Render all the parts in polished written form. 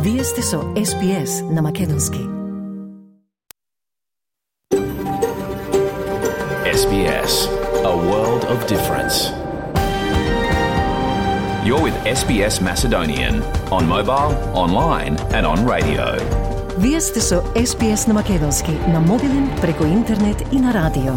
Вие сте со SBS на Македонски. SBS, a world of difference. You're with SBS Macedonian on mobile, online and on radio. Вие сте со SBS на Македонски на мобилен, преку интернет и на радио.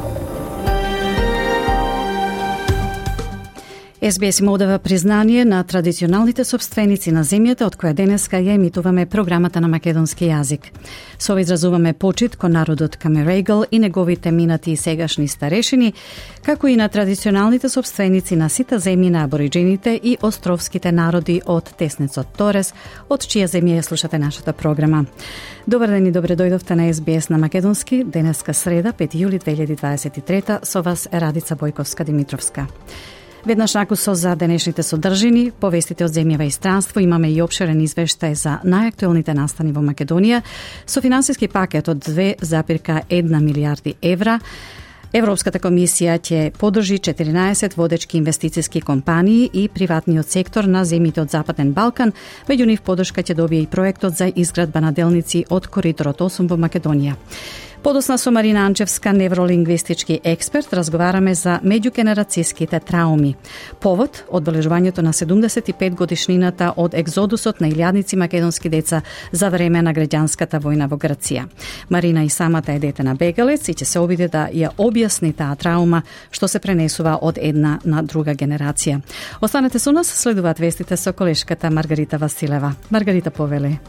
SBS им одава признание на традиционалните собственици на земјата од која денеска ја емитуваме програмата на македонски јазик. Со ова изразуваме почит кон народот Камерегал и неговите минати и сегашни старешини, како и на традиционалните собственици на сите земји на абориджините и островските народи од Теснецот Торес, од чија земја ја слушате нашата програма. Добар ден и добре дојдовте на SBS на Македонски, денеска среда, 5 јули 2023, со вас е Радица Бојковска-Димитровска. Веднаш накусо за денешните содржини, повестите од земјава и странство, имаме и опширен извештај за најактуелните настани во Македонија, со финансиски пакет од 2,1 милијарди евра. Европската комисија ќе подржи 14 водечки инвестициски компании и приватниот сектор на земјите од Западен Балкан, меѓу нив подршка ќе добие и проектот за изградба на делници од Коридорот 8 во Македонија. Подосна со Марина Анчевска, невролингвистички експерт, разговараме за меѓугенерацијските трауми. Повод – одбележувањето на 75 годишнината од екзодусот на илјадници македонски деца за време на граѓанската војна во Грција. Марина и самата е дете на бегалец и ќе се обиде да ја објасни таа траума што се пренесува од една на друга генерација. Останете со нас, следуваат вестите со колешката Маргарита Василева. Маргарита, повели.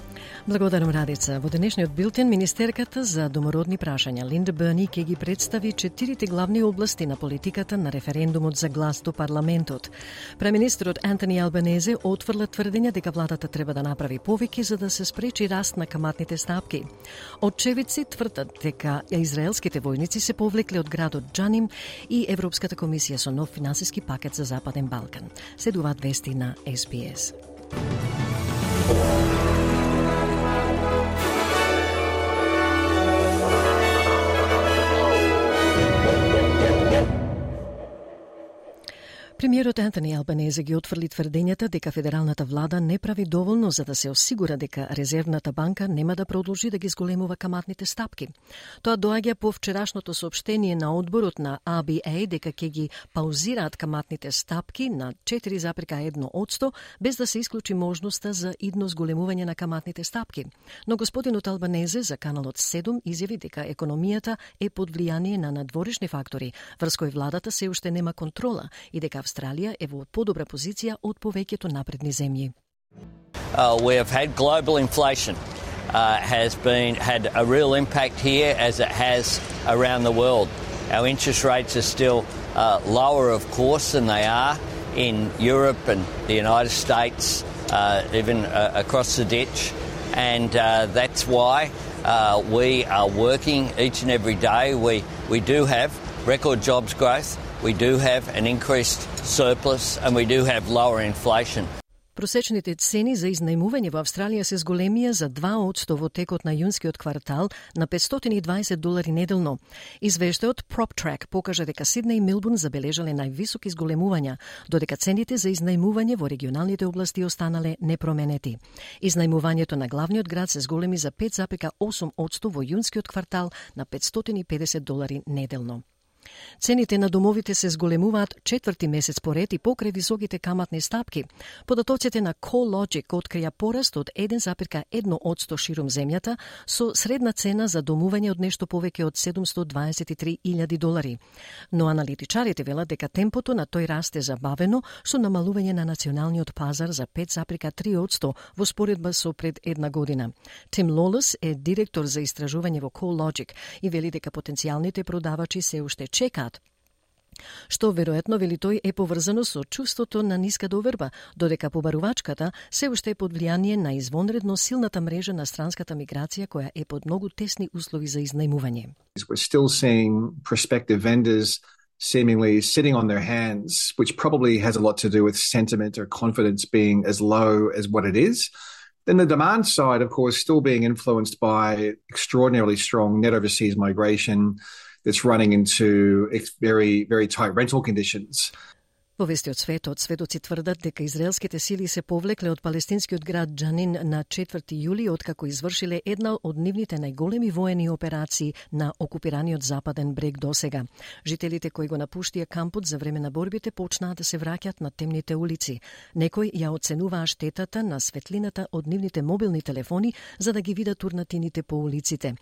Благодарам, Радица. Во денешниот билтен, министерката за домородни прашања Линда Берни ќе ги представи 4 главни области на политиката на референдумот за глас до парламентот. Премиnisтерот Антони Албанезе отфрла тврдења дека владата треба да направи повеќе за да се спречи раст на каматните стапки. Очевидци тврдат дека израелските војници се повлекле од градот Џаним и Европската комисија со нов финансиски пакет за Западен Балкан. Следуваат вести на SBS. Премиерот Антони Албанезе ги отфрли тврдењата дека федералната влада не прави доволно за да се осигура дека резервната банка нема да продолжи да ги зголемува каматните стапки. Тоа доаѓа по вчерашното соопштение на одборот на ABA дека ќе ги паузираат каматните стапки на 4,1% без да се исклучи можноста за идно зголемување на каматните стапки. Но господинот Албанезе за каналот 7 изјави дека економијата е под влијание на надворешни фактори, врз кои владата се уште нема контрола и дека Австралија е во подобра позиција од повеќето напредни земји. We have had global inflation has had a real impact here as it has around the world. Our interest rates are still lower, of course, than they are in Europe and the United States, even across the ditch, and that's why we are working each and every day. We do have record jobs growth. We do have an increased surplus and we do have lower inflation. Просечните цени за изнајмување во Австралија се зголемија за 2% во текот на јунскиот квартал на $520 неделно. Извештајот PropTrack покажа дека Сиднеј и Мелбурн забележале највисоки изголемувања, додека цените за изнајмување во регионалните области останале непроменети. Изнајмувањето на главниот град се зголеми за 5,8% во јунскиот квартал на $550 неделно. Цените на домовите се зголемуваат 4-ти месец поред и покрај високите каматни стапки. Податоците на CoreLogic открија пораст од 1,1% ширум земјата со средна цена за домување од нешто повеќе од $723,000. Но аналитичарите велат дека темпото на тој раст е забавено со намалување на националниот пазар за 5,3% во споредба со пред една година. Тим Лолес е директор за истражување во CoreLogic и вели дека потенцијалните продавачи се уште чекаат, што веројатно, вели тој, е поврзано со чувството на ниска доверба, додека побарувачката се уште е под влијание на извонредно силната мрежа на странската миграција која е под многу тесни услови за изнајмување. We're still seeing prospective vendors seemingly sitting on their hands, which probably has a lot to do with sentiment or confidence being as low as what it is. Then the demand side, of course, still being influenced by extraordinarily strong net overseas migration that's running into very, very tight rental conditions. Во вести од светот, сведоци тврдат дека израелските сили се повлекле од палестинскиот град Джанин на 4 јули, откако извршиле една од нивните најголеми воени операции на окупираниот западен брег досега. Жителите кои го напуштија кампот за време на борбите почнаа да се враќат на темните улици. Некои ја оценуваа штетата на светлината од нивните мобилни телефони за да ги видат урнатините по улиците.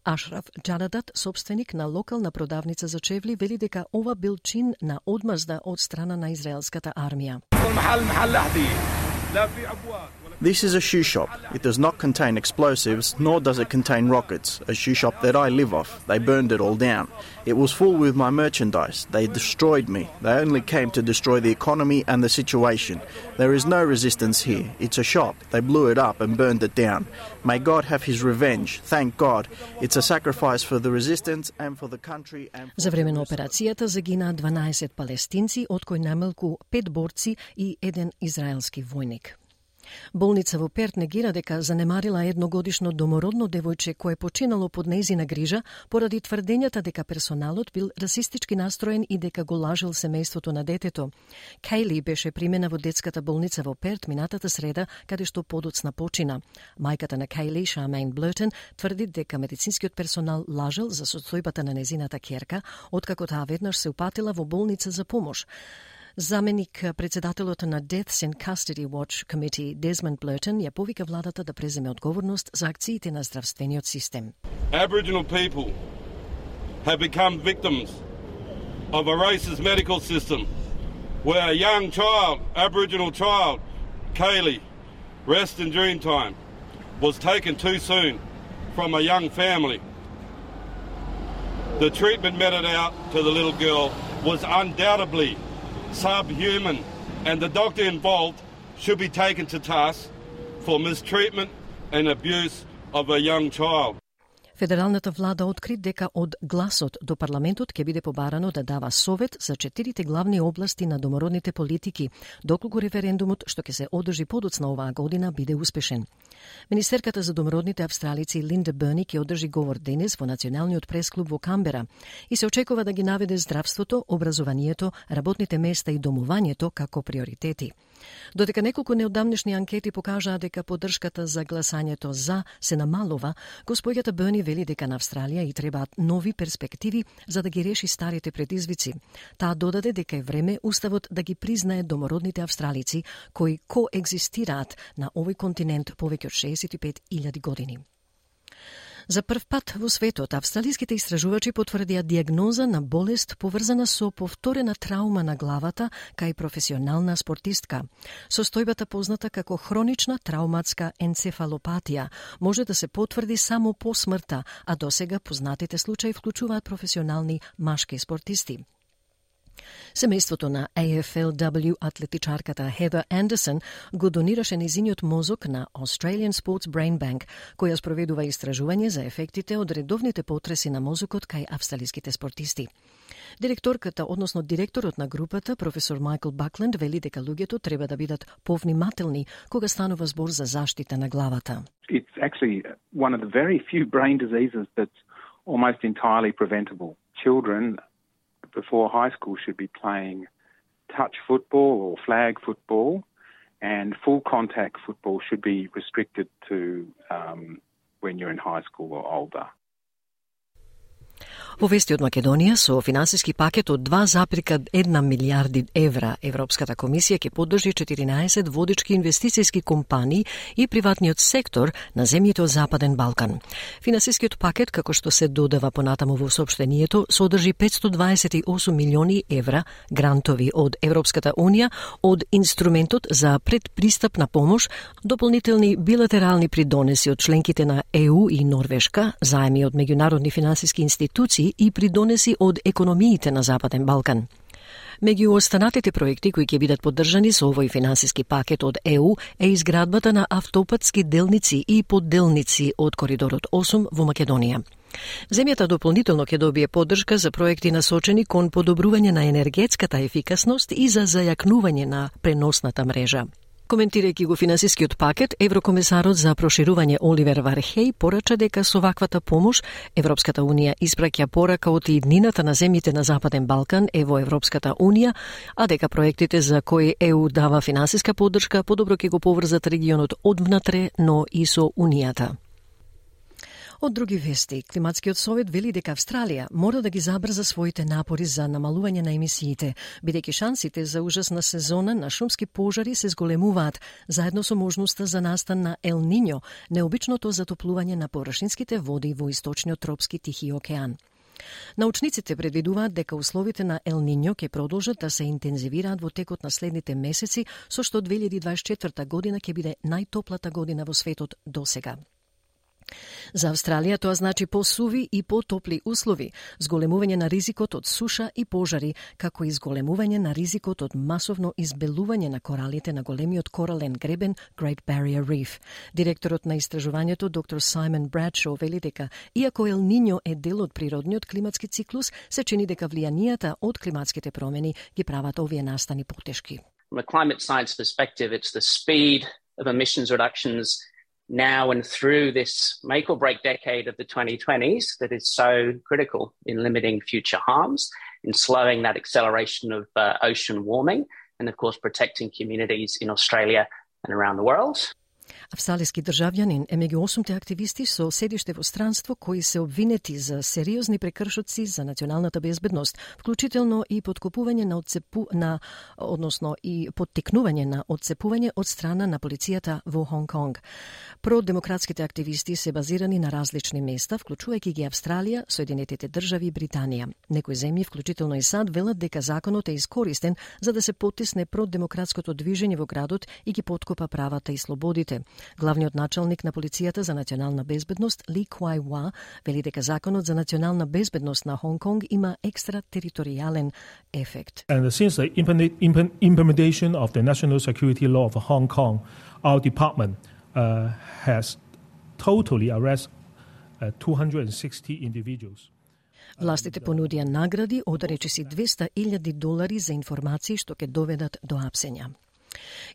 Ашраф Джарадат, собственик на локална продавница за чевли, вели дека ова бил чин на одмазда од страна на израелската армија. This is a shoe shop. It does not contain explosives, nor does it contain rockets. A shoe shop that I live off. They burned it all down. It was full with my merchandise. They destroyed me. They only came to destroy the economy and the situation. There is no resistance here. It's a shop. They blew it up and burned it down. May God have his revenge. Thank God. It's a sacrifice for the resistance and for the country and for... За време на операцијата загинаа 12 палестинци, од кои најмалку 5 борци и 1 израелски војник. Болница во Перт негира дека занемарила едногодишно домородно девојче кое починало под нејзина грижа поради тврдењата дека персоналот бил расистички настроен и дека го лажел семејството на детето. Кейли беше примена во детската болница во Перт минатата среда, каде што подоцна почина. Мајката на Кейли, Шамейн Блертон, тврди дека медицинскиот персонал лажел за состојбата на незината ќерка, откако таа веднаш се упатила во болница за помош. Заменик председателот на Deaths in Custody Watch Committee Desmond Blurton ја повика владата да преземе одговорност за акциите на здравствениот систем. Aboriginal people have become victims of a racist medical system where a young child, Aboriginal child, Kaylee, rest in Dreamtime, was taken too soon from a young family. The treatment meted out to the little girl was undoubtedly subhuman, and the doctor involved should be taken to task for mistreatment and abuse of a young child. Федералната влада откри дека од гласот до парламентот ќе биде побарано да дава совет за 4 главни области на домородните политики, доколку референдумот што ќе се одржи подоцна оваа година биде успешен. Министерката за домородните австралици Линда Берни ќе одржи говор денес во Националниот пресклуб во Камбера и се очекува да ги наведе здравството, образованието, работните места и домувањето како приоритети. Додека неколку неодамнешни анкети покажаа дека поддршката за гласањето за се намалува, госпоѓата Берни вели дека на Австралија и требаат нови перспективи за да ги реши старите предизвици. Таа додаде дека е време уставот да ги признае домородните австралици кои коегзистираат на овој континент повеќе од 65.000 години. За прв пат во светот, австралиските истражувачи потврдија диагноза на болест поврзана со повторена траума на главата кај професионална спортистка. Состојбата позната како хронична трауматска енцефалопатија може да се потврди само по смртта, а досега познатите случаи вклучуваат професионални машки спортисти. Семејството на AFLW атлетичарката Heather Anderson го донираше незиниот мозок на Australian Sports Brain Bank, која спроведува истражување за ефектите од редовните потреси на мозокот кај австралиските спортисти. Директорката, односно директорот на групата, професор Майкл Бакленд, вели дека луѓето треба да бидат повнимателни кога станува збор за заштита на главата. It's actually one of the very few brain diseases that's almost entirely preventable. Children before high school should be playing touch football or flag football, and full contact football should be restricted to when you're in high school or older. Во вести од Македонија, со финансиски пакет од 2,1 милиарди евра, Европската комисија ќе поддржи 14 водички инвестицијски компании и приватниот сектор на земјите од Западен Балкан. Финансискиот пакет, како што се додава понатаму во соопштението, содржи 528 милиони евра грантови од Европската Унија, од инструментот за предпристапна помош, дополнителни билатерални придонеси од членките на ЕУ и Норвешка, заеми од меѓународни финансиски институции и придонеси од економиите на Западен Балкан. Меѓу останатите проекти кои ќе бидат поддржани со овој финансиски пакет од ЕУ е изградбата на автопатски делници и подделници од коридорот 8 во Македонија. Земјата дополнително ќе добие поддршка за проекти насочени кон подобрување на енергетската ефикасност и за зајакнување на преносната мрежа. Коментирајќи го финансискиот пакет, еврокомесарот за проширување Оливер Вархеј порача дека со ваквата помош Европската унија испраќа порака од иднината на земјите на Западен Балкан во Европската унија, а дека проектите за кои ЕУ дава финансиска поддршка подобро ќе го поврзат регионот одвнатре, но и со унијата. Од други вести, Климатскиот совет вели дека Австралија мора да ги забрза своите напори за намалување на емисиите, бидејќи шансите за ужасна сезона на шумски пожари се зголемуваат, заедно со можноста за настан на Ел Ниньо, необичното затоплување на површинските води во источниот тропски Тихи океан. Научниците предвидуваат дека условите на Ел Ниньо ќе продолжат да се интензивираат во текот на следните месеци, со што 2024 година ќе биде најтоплата година во светот досега. За Австралија тоа значи посуви и потопли услови, зголемување на ризикот од суша и пожари, како и зголемување на ризикот од масовно избелување на коралите на големиот корален гребен Great Barrier Reef. Директорот на истражувањето доктор Саймон Брадшоу вели дека иако Ел Ниньо е дел од природниот климатски циклус, се чини дека влијанијата од климатските промени ги прават овие настани потешки. From a climate science perspective, it's the speed of emissions reductions now and through this make or break decade of the 2020s that is so critical in limiting future harms, in slowing that acceleration of ocean warming, and of course protecting communities in Australia and around the world. Австралиски државјанин е меѓу 8 активисти со седиште во странство кои се обвинети за сериозни прекршоци за националната безбедност, вклучително и поткопување на односно и поттикнување на отцепување од страна на полицијата во Хонг Конг. Продемократските активисти се базирани на различни места, вклучувајќи ги Австралија, Соединетите држави и Британија. Некои земји, вклучително и САД, велат дека законот е искористен за да се потисне продемократското движење во градот и ги поткопа правата и слободите. Главниот началник на полицијата за национална безбедност Ли Куај Уа вели дека законот за национална безбедност на Хонг Конг има екстратериторијален ефект. And since the implementation of the national security law of Hong Kong, our department has totally arrested 260 individuals. Властите понудија награди од речиси $200,000 за информации што ќе доведат до апсења.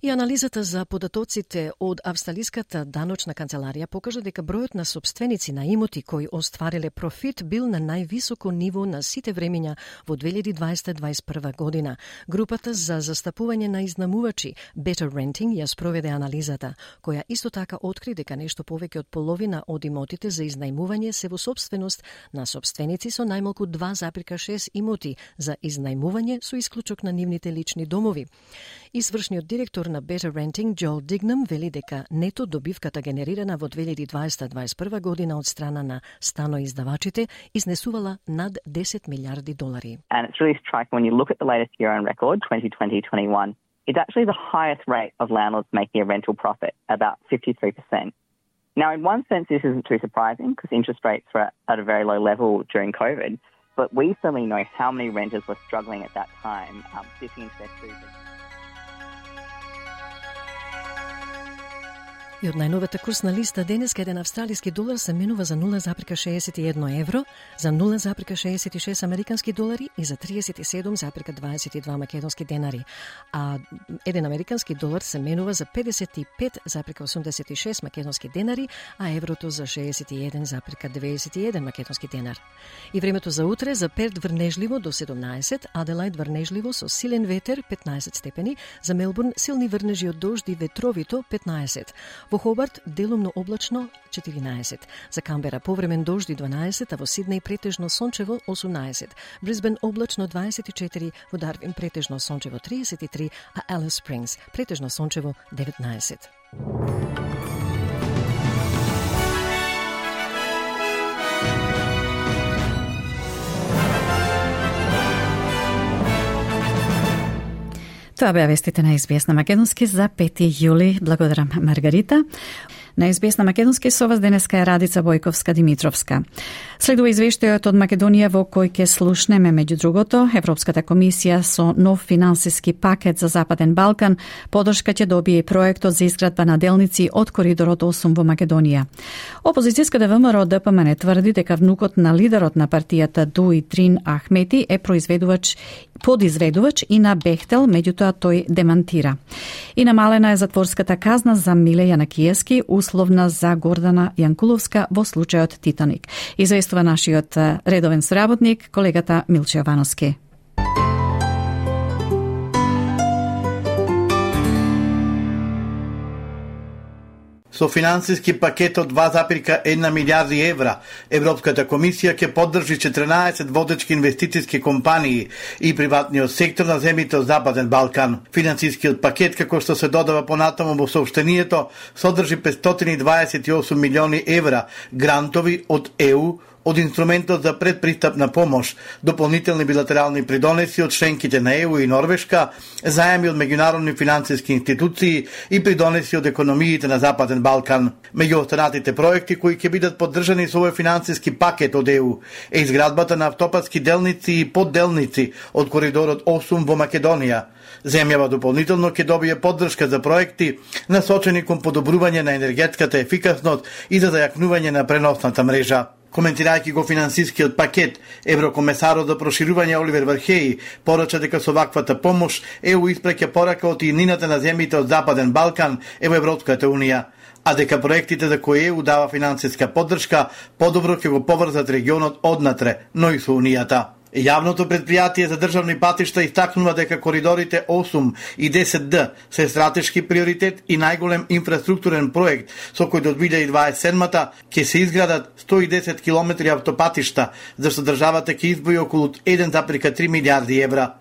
И анализата за податоците од Австралиската даночна канцеларија покажа дека бројот на сопственици на имоти кои оствариле профит бил на највисоко ниво на сите времења во 2020-2021 година. Групата за застапување на изнамувачи Better Renting ја спроведе анализата, која исто така откри дека нешто повеќе од половина од имотите за изнајмување се во сопственост на сопственици со најмалку 2,6 имоти за изнајмување со исклучок на нивните лични домови. Извршниот директор на Better Renting, Джоел Дигнам, вели дека нето добивката генерирана во 2020-2021 година од страна на станоиздавачите изнесувала над $10 милиарди. And it's really striking when you look at the latest year-on record, 2020-21, it's actually the highest rate of landlords making a rental profit, about 53%. Now, in one sense, this isn't too surprising because interest rates were at a very low level during COVID, but we certainly know how many renters were struggling at that time, sitting into their food. И од најновата курсна листа денеска еден австралиски долар се менува за 0,61 евро, за 0,66 американски долари и за 37,22 македонски денари. А еден американски долар се менува за 55,86 македонски денари, а еврото за 61,91 македонски денар. И времето за утре за Перт врнежливо до 17, Аделајд врнежливо со силен ветер 15 степени, за Мелбурн силни врнежи од дожд и ветровито 15. Во Хобарт делумно облачно 14, за Камбера повремен дожд и 12, а во Сиднеј претежно сончево 18, Брисбен облачно 24, во Дарвин претежно сончево 33, а Алис Спрингс претежно сончево 19. Тоа беа вестите на SBS на македонски за 5 јули. Благодарам, Маргарита. На СБС на македонски со вас денеска е Радица Бојковска-Димитровска. Следува извештајот од Македонија во кој ќе слушнеме меѓу другото Европската комисија со нов финансиски пакет за Западен Балкан. Подршка ќе добие и проектот за изградба на делници од коридорот 8 во Македонија. Опозицијската ВМРО ДПМН тврди дека внукот на лидерот на партијата Дуи Дрин Ахмети е подизведувач и на Бехтел, меѓутоа тој демантира. И намалена е затворската казна за Миле Јанакиевски, условна за Гордана Јанкуловска во случајот Титаник. Известува нашиот редовен соработник, колегата Милче Јовановски. Со финансиски пакет од 2,1 милиарди евра, Европската комисија ќе поддржи 14 водечки инвестициски компании и приватниот сектор на земјите од Западен Балкан. Финансискиот пакет, како што се додава понатаму во соопштението, содржи 528 милиони евра грантови од ЕУ, од инструментот за предпристапна помош, дополнителни билатерални придонеси од членките на ЕУ и Норвешка, заеми од меѓународни финансиски институции и придонеси од економиите на Западен Балкан. Меѓу останатите проекти кои ќе бидат поддржани со овој финансиски пакет од ЕУ е изградбата на автопатски делници и подделници од коридорот 8 во Македонија. Земјава дополнително ќе добие поддршка за проекти насочени кон подобрување на енергетската ефикасност и за зајакнување на преносната мрежа. Коментирајќи го финансискиот пакет, еврокомесарот за проширување Оливер Вархеи порача дека со ваквата помош ЕУ испраќа порака од иднината на земјите од Западен Балкан е во Европската Унија, а дека проектите за кои ЕУ дава финансиска поддршка подобро ќе го поврзат регионот однатре, но и со Унијата. Јавното предпријатие за државни патишта истакнува дека коридорите 8 и 10D се стратешки приоритет и најголем инфраструктурен проект со кој до 2027-та ќе се изградат 110 километри автопатишта, зашто државата ќе избои околу 1,3 милиарди евра.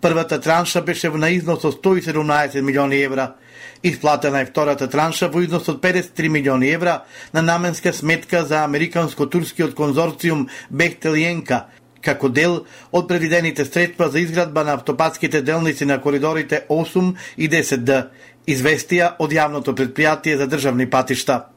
Првата транша беше на износ од 117 милиони евра. Исплатена е втората транша во износ од 53 милиони евра на наменска сметка за американско-турскиот конзорциум Бехтел и Енка, како дел од предвидените средства за изградба на автопатските делници на коридорите 8 и 10D, известија од јавното предпријатие за државни патишта.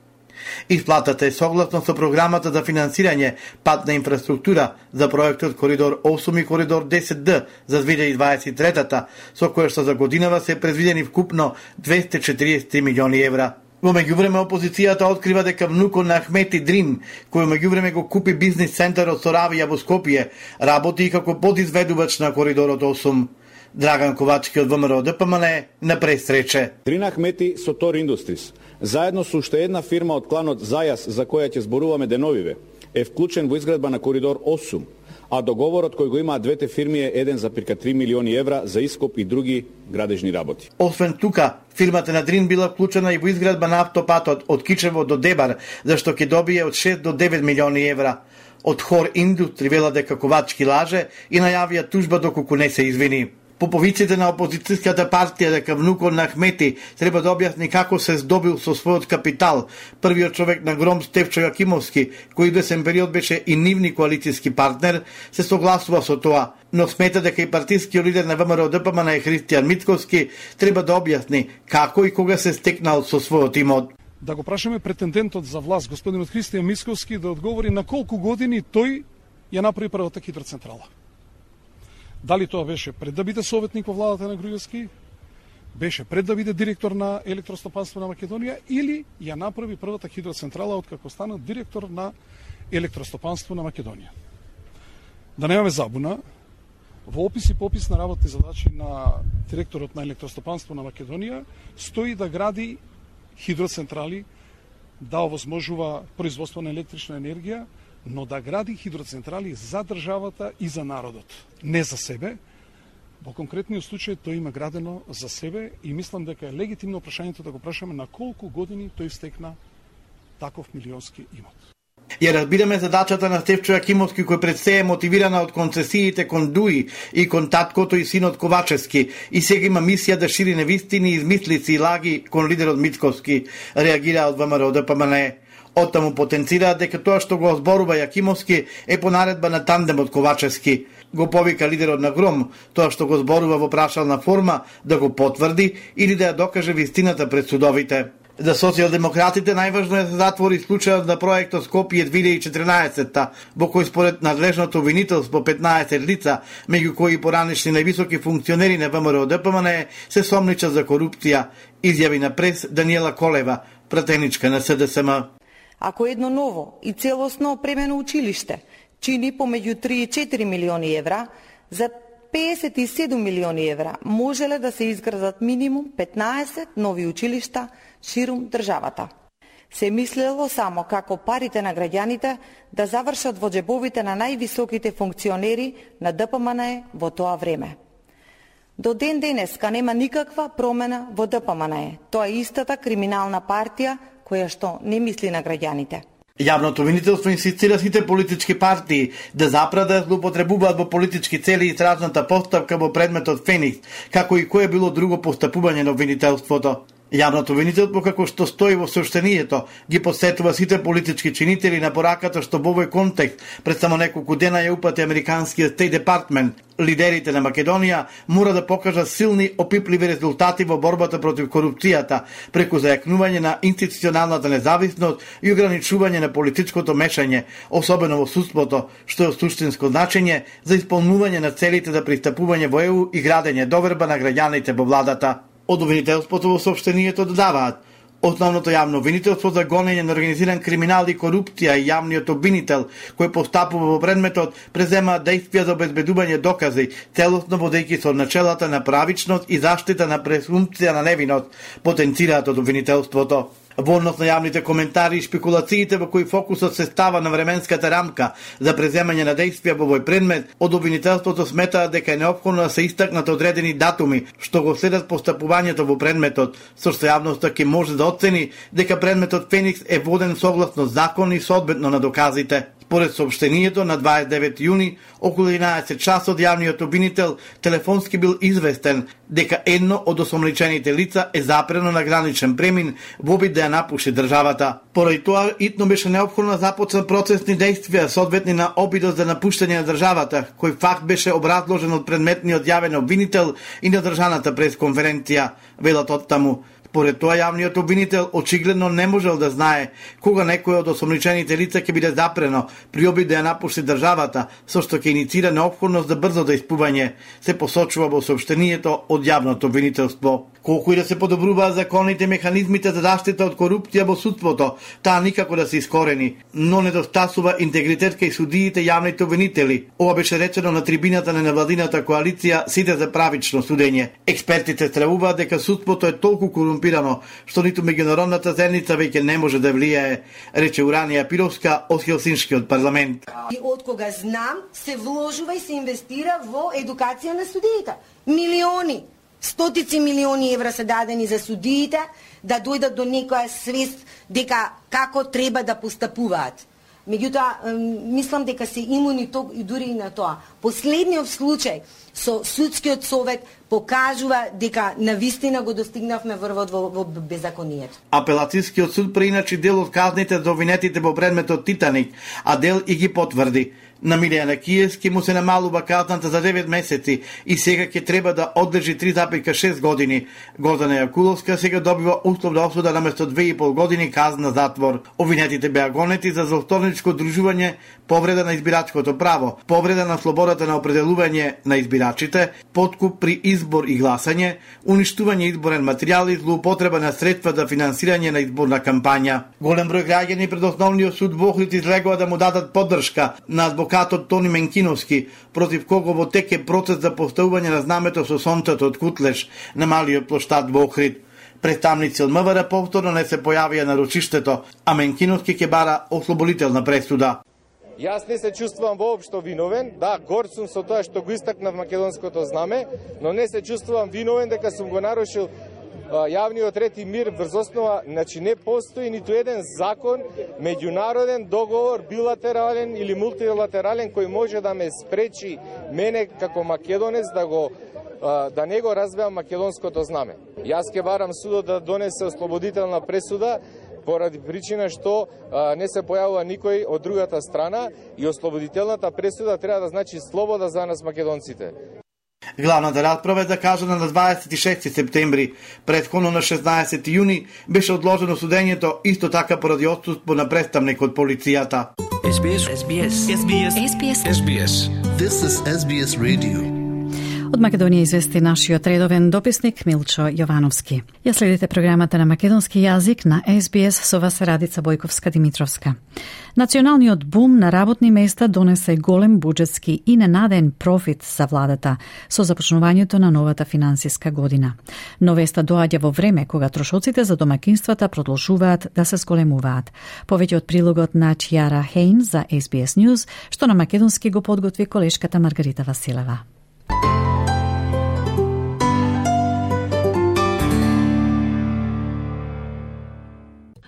Исплатата е согласно со програмата за финансирање патна инфраструктура за проектот Коридор 8 и Коридор 10D за 2023-та, со која што за годинава се предвидени вкупно 243 милиони евра. Во меѓувреме опозицијата открива дека внукот на Ахмети Дрин, кој во меѓувреме го купи бизнис центарот Соравија во Скопје, работи и како подизведувач на коридорот 8. Драган Ковачки од ВМРО ДПМН на пресрече. Дрин Ахмети со Тор Индустрис, заедно со уште една фирма од кланот Зајас, за која ќе зборуваме деновиве, е вклучен во изградба на коридор 8, а договорот кој го имаат двете фирми е 1,3 милиони евра за ископ и други градежни работи. Освен тука, фирмата на Дрин била вклучена и во изградба на автопатот од Кичево до Дебар, зашто ќе добие од 6 до 9 милиони евра. Од Хор Индустри вела дека Ковачки лаже и најавија тужба доколку не се извини. Поповиците на опозицијската партија дека внукот на Ахмети треба да објасни како се здобил со својот капитал. Првиот човек на Гром Стефчо Јакимовски, кој десен период беше и нивни коалицијски партнер, се согласува со тоа, но смета дека и партискиот лидер на ВМРО ДПМН Христијан Мицковски треба да објасни како и кога се стекнал со својот имот. Да го прашаме претендентот за власт, господинот Христијан Мицковски, да одговори на колку години тој ја направи првата хидроцентрала. Дали тоа беше пред да биде советник во владата на Груевски, беше пред да биде директор на Електростопанство на Македонија или ја направи првата хидроцентрала откако стана директор на Електростопанство на Македонија. Да немаме забуна, во опис и попис на работни задачи на директорот на Електростопанство на Македонија стои да гради хидроцентрали, да овозможува производство на електрична енергија, но да гради хидроцентрали за државата и за народот, не за себе. Во конкретниот случај тој има градено за себе и мислам дека е легитимно прашањето да го прашаме на колку години тој стекна таков милионски имот. Ја разбираме задачата на Стефчо Јакимовски, кој пред се е мотивирана од концесиите кон Дуи и кон таткото и синот Ковачевски, и сега има мисија да шири невистини, измислици и лаги кон лидерот Мицковски, реагира од ВМРО ДПМН. Оттаму потенцираат дека тоа што го зборува Јакимовски е по наредба на тандемот Ковачевски. Го повика лидерот на Гром, тоа што го зборува во прашална форма, да го потврди или да ја докаже вистината пред судовите. За социјалдемократите најважно е да се затвори случајот на проектот Скопје 2014, во кој според надлежното обвинителство 15 лица, меѓу кои поранешни највисоки функционери на ВМРО-ДПМН се сомничат за корупција, изјави на прес Даниела Колева, пратеничка на СДСМ. Ако едно ново и целосно опремено училиште чини помеѓу 3 и 4 милиони евра, за 57 милиони евра можеле да се изградат минимум 15 нови училишта ширум државата. Се мислело само како парите на граѓаните да завршат во џебовите на највисоките функционери на ДПМН во тоа време. До ден денеска нема никаква промена во ДПМН. Тоа е истата криминална партија која што не мисли на граѓаните. Јавното обвинителство инсистира сите политички партии да запрат да злоупотребуваат во политички цели истражната постапка во предметот Феникс, како и кое било друго постапување на обвинителството. Јавното обвинителство, како што стои во сообщението, ги посетува сите политички чинители на пораката што во овој контекст пред само неколку дена ја упати американскиот State Department. Лидерите на Македонија мора да покажат силни, опипливи резултати во борбата против корупцијата, преку зајакнување на институционалната независност и ограничување на политичкото мешање, особено во судството, што е од суштинско значење за исполнување на целите за пристапување во ЕУ и градење доверба на граѓаните во владата. Од обвинителството во сообщението додаваат: основното јавно обвинителство за гонење на организиран криминал и корупција и јавниот обвинител, кој постапува во предметот, презема действија за обезбедување докази, целосно водејќи со начелата на правичност и заштита на презумпција на невиност, потенцираат од обвинителството. Во однос на јавните коментари и шпекулациите во кои фокусот се става на временската рамка за преземање на действија во овој предмет, од обвинителството сметаат дека е неопходно да се истакнат одредени датуми што го следат постапувањето во предметот, со што јавноста ќе може да оцени дека предметот Феникс е воден согласно закон и соодветно на доказите. Според сообщението, на 29 јуни, околу 11 часот, јавниот обвинител телефонски бил известен дека едно од осомничените лица е запрено на граничен премин во обид да ја напуши државата. Поради тоа, итно беше неопходно да започнат процесни действија соодветни на обидот за напуштање на државата, кој факт беше образложен од предметниот јавен обвинител и на држаната пресконференција, велат од таму. Според тоа, јавниот обвинител очигледно не можел да знае кога некој од осомничените лица ќе биде запрено при обид да ја напушти државата, со што ќе иницира неопходност за брзо дејствување, се посочува во сообщението од јавното обвинителство. Колку и да се подобруваат законите и механизмите за заштита од корупција во судството, таа никако да се искорени, но недостасува интегритет кај судиите јавните обвинители. Ова беше речено на трибината на невладината коалиција Сите за правично судење. Експертите стравуваат дека судството е толку корумпирано што ниту меѓународната заедница веќе не може да влијае, рече Уранија Пировска од Хелсиншкиот парламент. И од кога знам, се вложува и се инвестира во едукација на судиите. Милиони, стотици милиони евра се дадени за судиите да дојдат до некоја свест дека како треба да постапуваат. Меѓутоа, мислам дека се имуни и дури и на тоа. Последниот случај со судскиот совет покажува дека навистина го достигнавме врвот во беззаконието. Апелацијскиот суд преиначи дел од казните за обвинетите во предметот Титаник, а дел и ги потврди. На Милијана Киевски му се намалува казната за 9 месеци и сега ќе треба да одлежи 3,6 години. Гордана Јакуловска сега добива условна осуда наместо 2,5 години казна затвор. Обвинетите беа гонети за злосторничко дружување, повреда на избирачкото право, повреда на слободата на определување на избирачите, подкуп при избор и гласање, уништување изборен материјал и злоупотреба на средства за финансирање на изборна кампања. Голем број граѓани пред основниот суд во Охрид излегува да му дадат поддршка на адвокатот Тони Менкиновски, против кого во тек е процес за поставување на знамето со сонцето од Кутлеш на малиот плоштад во Охрид. Представници од МВР повторно не се појавија на рочиштето, а Менкиновски ќе бара ослободителна пресуда. Јас не се чувствувам воопшто виновен, да, горд сум со тоа што го истакнав македонското знаме, но не се чувствувам виновен дека сум го нарушил јавниот ред и мир врз основа, значи не постои ниту еден закон, меѓународен договор, билатерален или мултилатерален кој може да ме спречи мене како македонец да не го развеам македонското знаме. Јас ќе барам судот да донесе ослободителна пресуда поради причина што не се појавува никој од другата страна и ослободителната пресуда треба да значи слобода за нас македонците. Главната расправа е закажана на 26 септември. Претходно на 16 јуни беше одложено судењето, исто така поради отсуство на представник од полицијата. SBS. This is SBS Radio. Од Македонија извести нашиот редовен дописник Милчо Јовановски. Ја следите програмата на македонски јазик на SBS со вас Радица Бојковска-Димитровска. Националниот бум на работни места донесе голем буџетски и ненаден профит за владата со започнувањето на новата финансиска година. Но веста доаѓа во време кога трошоците за домакинствата продолжуваат да се зголемуваат. Повеќе од прилогот на Чиара Хейн за SBS News, што на македонски го подготви колешката Маргарита Василева.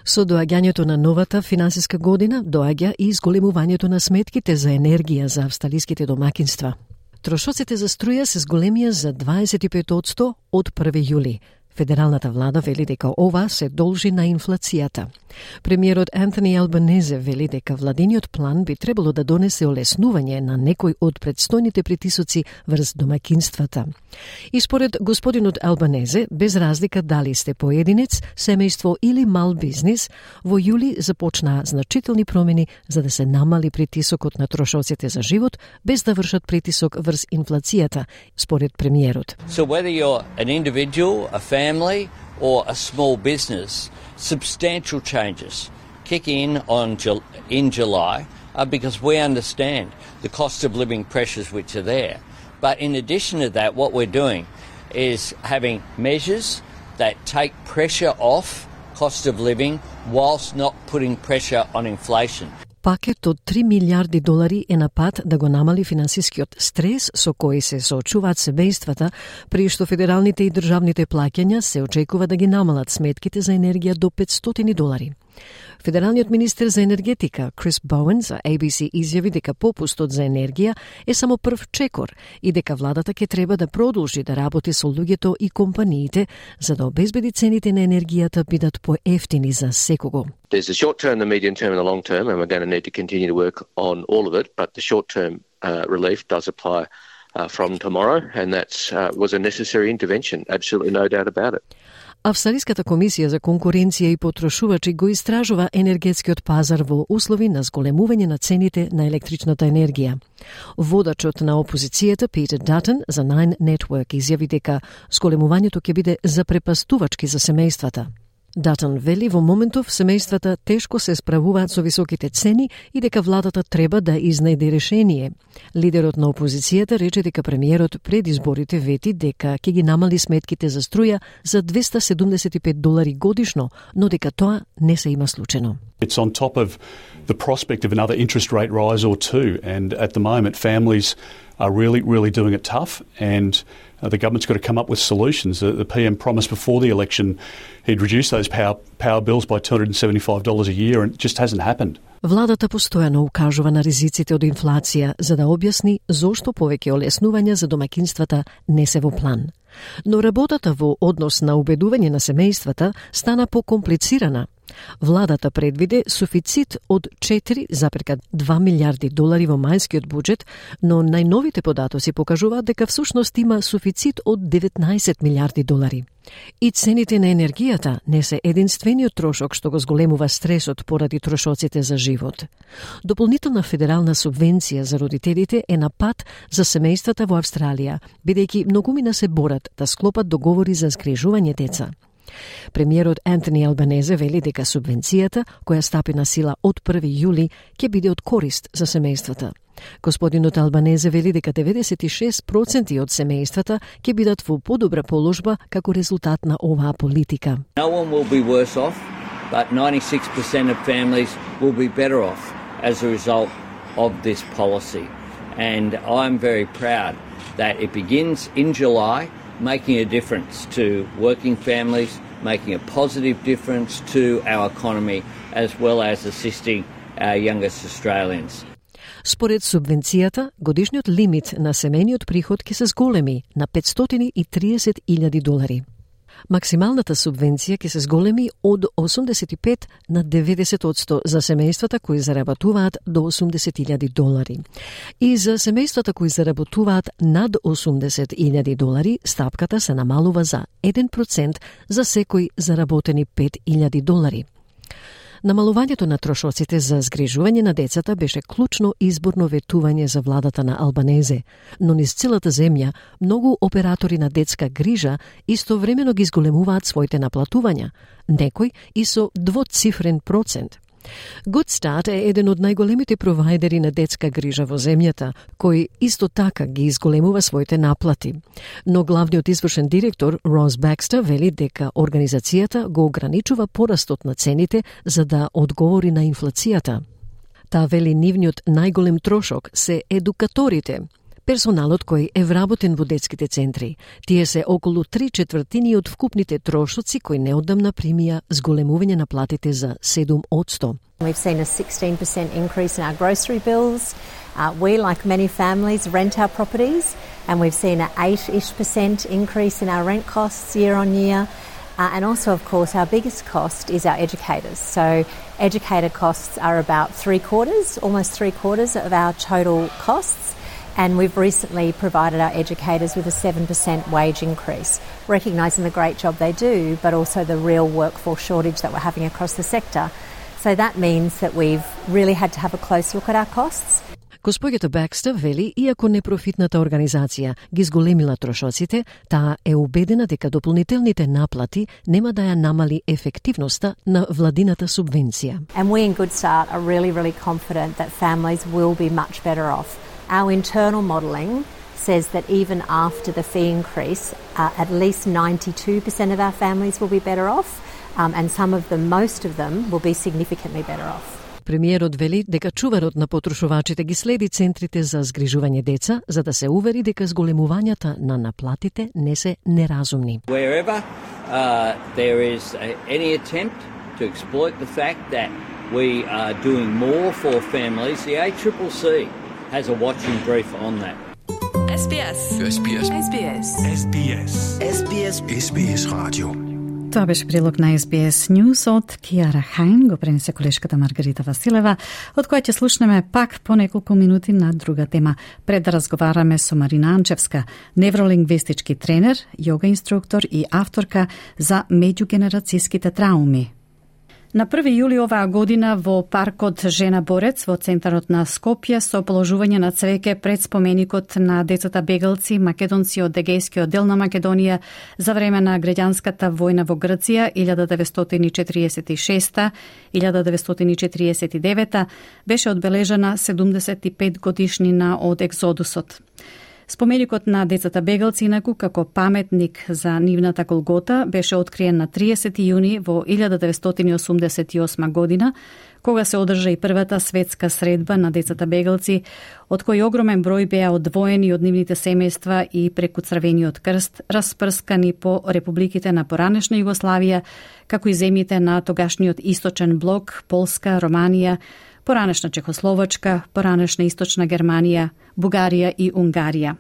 Со доаѓањето на новата финансиска година доаѓа и зголемувањето на сметките за енергија за австралиските домакинства. Трошоците за струја се зголемија за 25% од 1 јули. Федералната влада вели дека ова се должи на инфлацијата. Премиерот Антони Албанезе вели дека владиниот план би требало да донесе олеснување на некој од предстојните притисоци врз домакинствата. И според господинот Албанезе, без разлика дали сте поединец, семејство или мал бизнис, во јули започнаа значителни промени за да се намали притисокот на трошоците за живот, без да вршат притисок врз инфлацијата, според премиерот. So whether you're an individual, a family or a small business, substantial changes kick in in July because we understand the cost of living pressures which are there. But in addition to that, what we're doing is having measures that take pressure off cost of living whilst not putting pressure on inflation. Пакет од 3 милиарди долари е на пат да го намали финансискиот стрес со кој се соочуваат семејствата, при што федералните и државните плаќања се очекува да ги намалат сметките за енергија до 500 долари. Федералниот министер за енергетика Крис Боуен за ABC изјави дека попустот за енергија е само прв чекор и дека владата ќе треба да продолжи да работи со луѓето и компаниите за да обезбеди цените на енергијата бидат поевтини за секого. There's the short term, the medium term and the long term, and we're going to need to continue to work on all of it, but the short term relief does apply from tomorrow, and that was a necessary intervention, absolutely no doubt about it. Австралиската комисија за конкуренција и потрошувачи го истражува енергетскиот пазар во услови на зголемување на цените на електричната енергија. Водачот на опозицијата Питер Датон за Nine Network изјави дека зголемувањето ќе биде запрепастувачки за семејствата. Датон вели во моментов семејствата тешко се справуваат со високите цени и дека владата треба да изнајде решение. Лидерот на опозицијата рече дека премиерот пред изборите вети дека ќе ги намали сметките за струја за 275 долари годишно, но дека тоа не се има случено. It's on top of the prospect of another interest rate rise or two, and at the moment families are really doing it tough, and the government's got to come up with solutions. The PM promised before the election he'd reduce those power bills by $275 a year, and it just hasn't happened. Владата постојано укажува на ризиците од инфлација за да објасни зошто повеќе олеснувања за домакинствата не се во план. Но работата во однос на убедување на семејствата стана покомплицирана. Владата предвиде суфицит од 4,2 милиарди долари во мајскиот буџет, но најновите податоци покажуваат дека всушност има суфицит од 19 милиарди долари. И цените на енергијата не се единствениот трошок што го зголемува стресот поради трошоците за живот. Дополнителна федерална субвенција за родителите е на пат за семејствата во Австралија, бидејќи многумина се борат да склопат договори за згрижување деца. Премиерот Антони Албанезе вели дека субвенцијата, која стапи на сила од 1 јули, ќе биде од корист за семејствата. Господинот Албанезе вели дека 96% од семејствата ќе бидат во подобра положба како резултат на оваа политика. No one will be worse off, but 96% of families will be better off as a result of this policy. And I'm very proud that it begins in July, making a difference to working families, making a positive difference to our economy, as well as assisting our youngest Australians. Според субвенцијата, годишниот лимит на семејниот приход ќе се зголеми на $530,000. Максималната субвенција ќе се зголеми од 85 на 90% за семејствата кои заработуваат до $80,000. И за семејствата кои заработуваат над $80,000, стапката се намалува за 1% за секој заработени $5,000. Намалувањето на трошоците за згрижување на децата беше клучно изборно ветување за владата на Албанезе, но низ целата земја многу оператори на детска грижа истовремено ги зголемуваат своите наплатувања, некој и со двоцифрен процент. Good Start е еден од најголемите провајдери на детска грижа во земјата, кој исто така ги изголемува своите наплати. Но главниот извршен директор Рос Бекстер вели дека организацијата го ограничува порастот на цените за да одговори на инфлацијата. Таа вели нивниот најголем трошок се едукаторите, персоналот кој е вработен во детските центри. Тие се околу 3/4 од вкупните трошоци кои неодамна примија зголемување на платите за 7%. We've seen a 16% increase in our grocery bills. We, like many families, rent our properties, and we've seen an 8-ish% increase in our rent costs year on year. And also, of course, our biggest cost is our educators. So educator costs are about almost three quarters of our total costs. And we've recently provided our educators with a 7% wage increase, recognising the great job they do, but also the real workforce shortage that we're having across the sector. So that means that we've really had to have a close look at our costs. Госпоѓата Бекстер вели, иако непрофитната организација ги зголемила трошоците, таа е убедена дека дополнителните наплати нема да ја намали ефективноста на владината субвенција. And we in Good Start are really, really confident that families will be much better off. Our internal modelling says that even after the fee increase, at least 92% of our families will be better off, and most of them will be significantly better off. Премиерот вели дека чуварот на потрошувачите ги следи центрите за згрижување деца, за да се увери дека зголемувањата на наплатите не се неразумни. Wherever there is any attempt to exploit the fact that we are doing more for families, the ACCC has a watching brief on that. SBS. SBS. SBS. SBS. SBS. SBS Radio. Тоа беше прилог на SBS News од Киара Хајн, го пренесе колешката Маргарита Василева, од која ќе слушнеме пак по неколку минути на друга тема. Пред да разговараме со Марина Анчевска, невролингвистички тренер, јога инструктор и авторка за меѓугенерацијските трауми. На 1 јули оваа година во паркот Жена Борец во центарот на Скопје со положување на цвеќе пред споменикот на децата бегалци македонци од Егејскиот дел на Македонија за време на граѓанската војна во Грција 1946-1949 беше одбележана 75 годишнина од екзодусот. Споменикот на децата бегалци, инаку како паметник за нивната голгота, беше откриен на 30 јуни во 1988 година, кога се одржа и првата светска средба на децата бегалци, од кои огромен број беа одвоени од нивните семејства и преку Црвениот крст, распрскани по републиките на поранешна Југославија, како и земјите на тогашниот источен блок, Полска, Романија, поранешна Чехословачка, поранешна Источна Германија, Бугарија и Унгарија.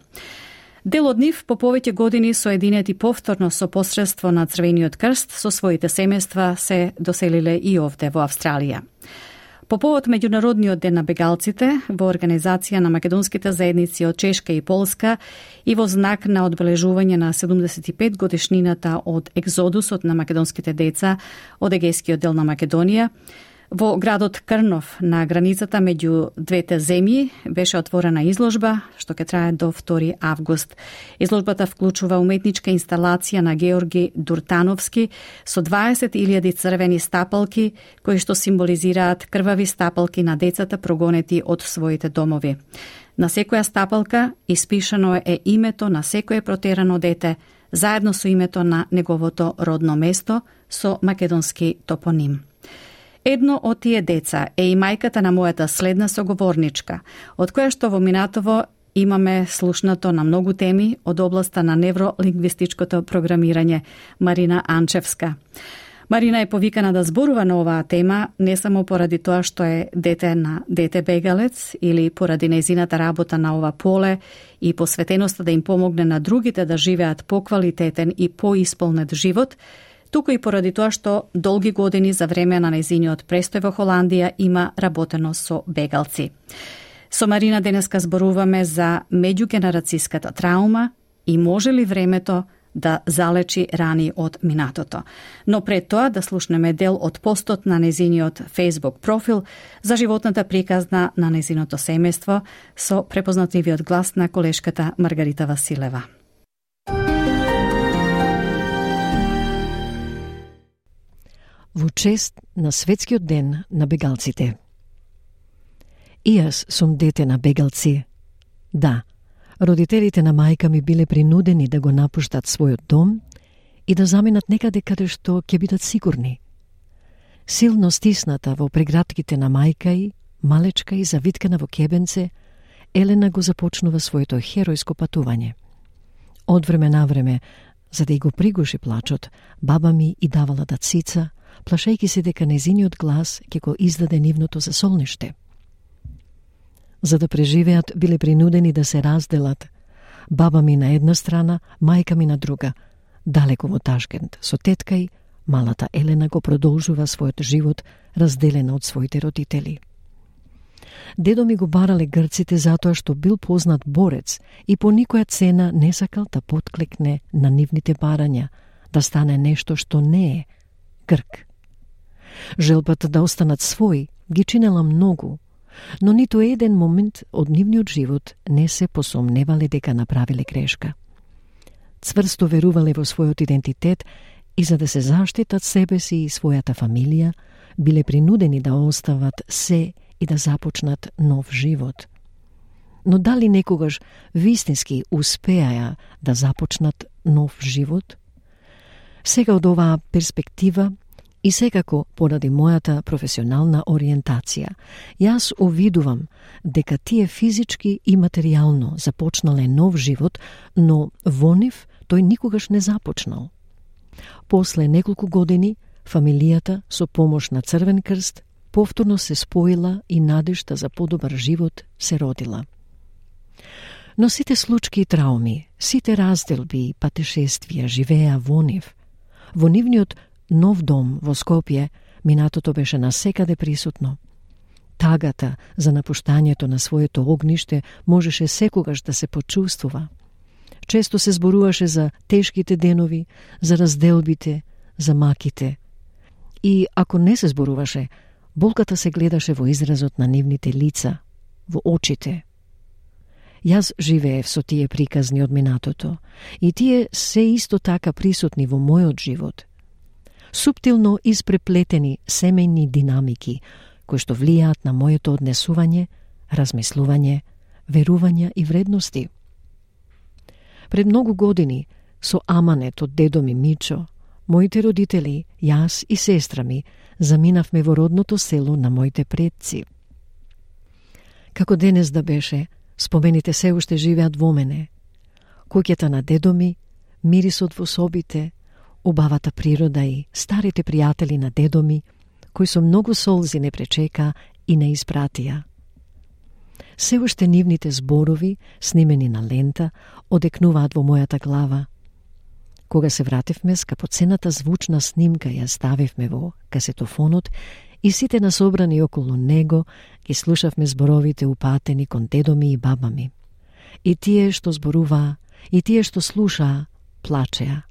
Дел од нив по повеќе години соединети повторно со посредство на Црвениот крст со своите семејства се доселиле и овде во Австралија. По повод Меѓународниот ден на бегалците, во организација на македонските заедници од Чешка и Полска и во знак на одбележување на 75 годишнината од екзодусот на македонските деца од Егејскиот дел на Македонија, во градот Крнов на границата меѓу двете земји беше отворена изложба што ќе трае до 2 август. Изложбата вклучува уметничка инсталација на Георги Дуртановски со 20.000 црвени стапалки кои што символизираат крвави стапалки на децата прогонети од своите домови. На секоја стапалка испишано е името на секое протерано дете, заедно со името на неговото родно место со македонски топоним. Едно од тие деца е и мајката на мојата следна соговорничка, од која што во минатово имаме слушнато на многу теми од областа на невролингвистичкото програмирање, Марина Анчевска. Марина е повикана да зборува на оваа тема не само поради тоа што е дете на дете бегалец или поради нејзината работа на ова поле и посветеноста да им помогне на другите да живеат поквалитетен и поисполнет живот, туку и поради тоа што долги години за време на нејзиниот престој во Холандија има работено со бегалци. Со Марина денеска зборуваме за меѓугенерацијската траума и може ли времето да залечи рани од минатото. Но пред тоа да слушнеме дел од постот на незиниот Facebook профил за животната приказна на незиното семејство со препознатливиот глас на колешката Маргарита Василева. Во чест на Светскиот ден на бегалците. И јас сум дете на бегалци. Да, родителите на мајка ми биле принудени да го напуштат својот дом и да заминат некаде каде што ќе бидат сигурни. Силно стисната во прегратките на мајка и, малечка и завиткана во кебенце, Елена го започнува своето херојско патување. Од време на време, за да и го пригуши плачот, баба ми и давала да цица, плашејќи се дека незиниот глас ќе го издаде нивното засолниште. За да преживеат, биле принудени да се разделат. Баба ми на една страна, мајка ми на друга. Далеко во Ташкент, со тетка и, малата Елена го продолжува својот живот, разделена од своите родители. Дедо ми го барале грците затоа што бил познат борец и по никоја цена не сакал да потклекне на нивните барања, да стане нешто што не е Грк. Желбата да останат своји ги чинела многу, но ниту еден момент од нивниот живот не се посомневале дека направиле грешка. Цврсто верувале во својот идентитет и за да се заштитат себе си и својата фамилија, биле принудени да остават се и да започнат нов живот. Но дали некогаш вистински успеаја да започнат нов живот? Сега од оваа перспектива и секако поради мојата професионална ориентација, јас увидувам дека тие физички и материјално започнале нов живот, но во нив тој никогаш не започнал. После неколку години, фамилијата со помош на Црвен крст повторно се споила и надежта за подобар живот се родила. Но сите случки и трауми, сите разделби и патешествија живеа во нив. Во нивниот нов дом во Скопје, минатото беше насекаде присутно. Тагата за напуштањето на своето огниште можеше секогаш да се почувствува. Често се зборуваше за тешките денови, за разделбите, за маките. И ако не се зборуваше, болката се гледаше во изразот на нивните лица, во очите. Јас живеев со тие приказни од минатото и тие се исто така присутни во мојот живот. Суптилно испреплетени семејни динамики, кои што влијаат на моето однесување, размислување, верувања и вредности. Пред многу години, со аманет од дедо ми Мичо, моите родители, јас и сестра ми, заминавме во родното село на моите предци. Како денес да беше, спомените се уште живеат во мене. Куќата на дедо ми, мирисот во собите, убавата природа и старите пријатели на дедо ми, кои со многу солзи не пречека и не испратија. Се уште нивните зборови, снимени на лента, одекнуваат во мојата глава. Кога се вративме, скапоцената звучна снимка ја ставивме во касетофонот и сите насобрани околу него ги слушавме зборовите упатени кон дедо ми и баба ми. И тие што зборуваа, и тие што слушаа, плачеа.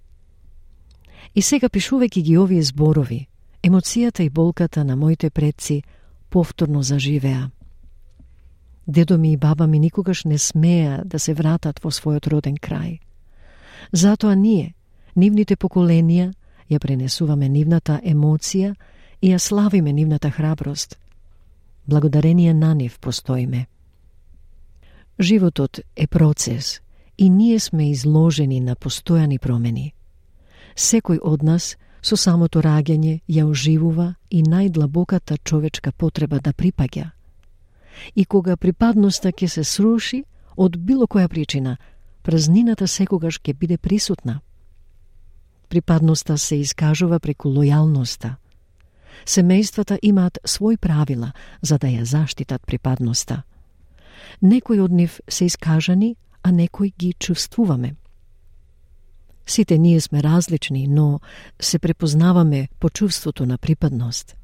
И сега пишувајќи ги овие зборови, емоцијата и болката на моите предци повторно заживеа. Дедо ми и баба ми никогаш не смеа да се вратат во својот роден крај. Затоа ние, нивните поколенија, ја пренесуваме нивната емоција и ја славиме нивната храброст. Благодарение на нив постоиме. Животот е процес и ние сме изложени на постојани промени. Секој од нас со самото раѓање ја оживува и најдлабоката човечка потреба да припаѓа. И кога припадноста ќе се сруши, од било која причина, празнината секогаш ќе биде присутна. Припадноста се искажува преку лојалноста. Семејствата имаат свои правила за да ја заштитат припадноста. Некои од нив се искажани, а некои ги чувствуваме. Сите ние сме различни, но се препознаваме по чувството на припадност.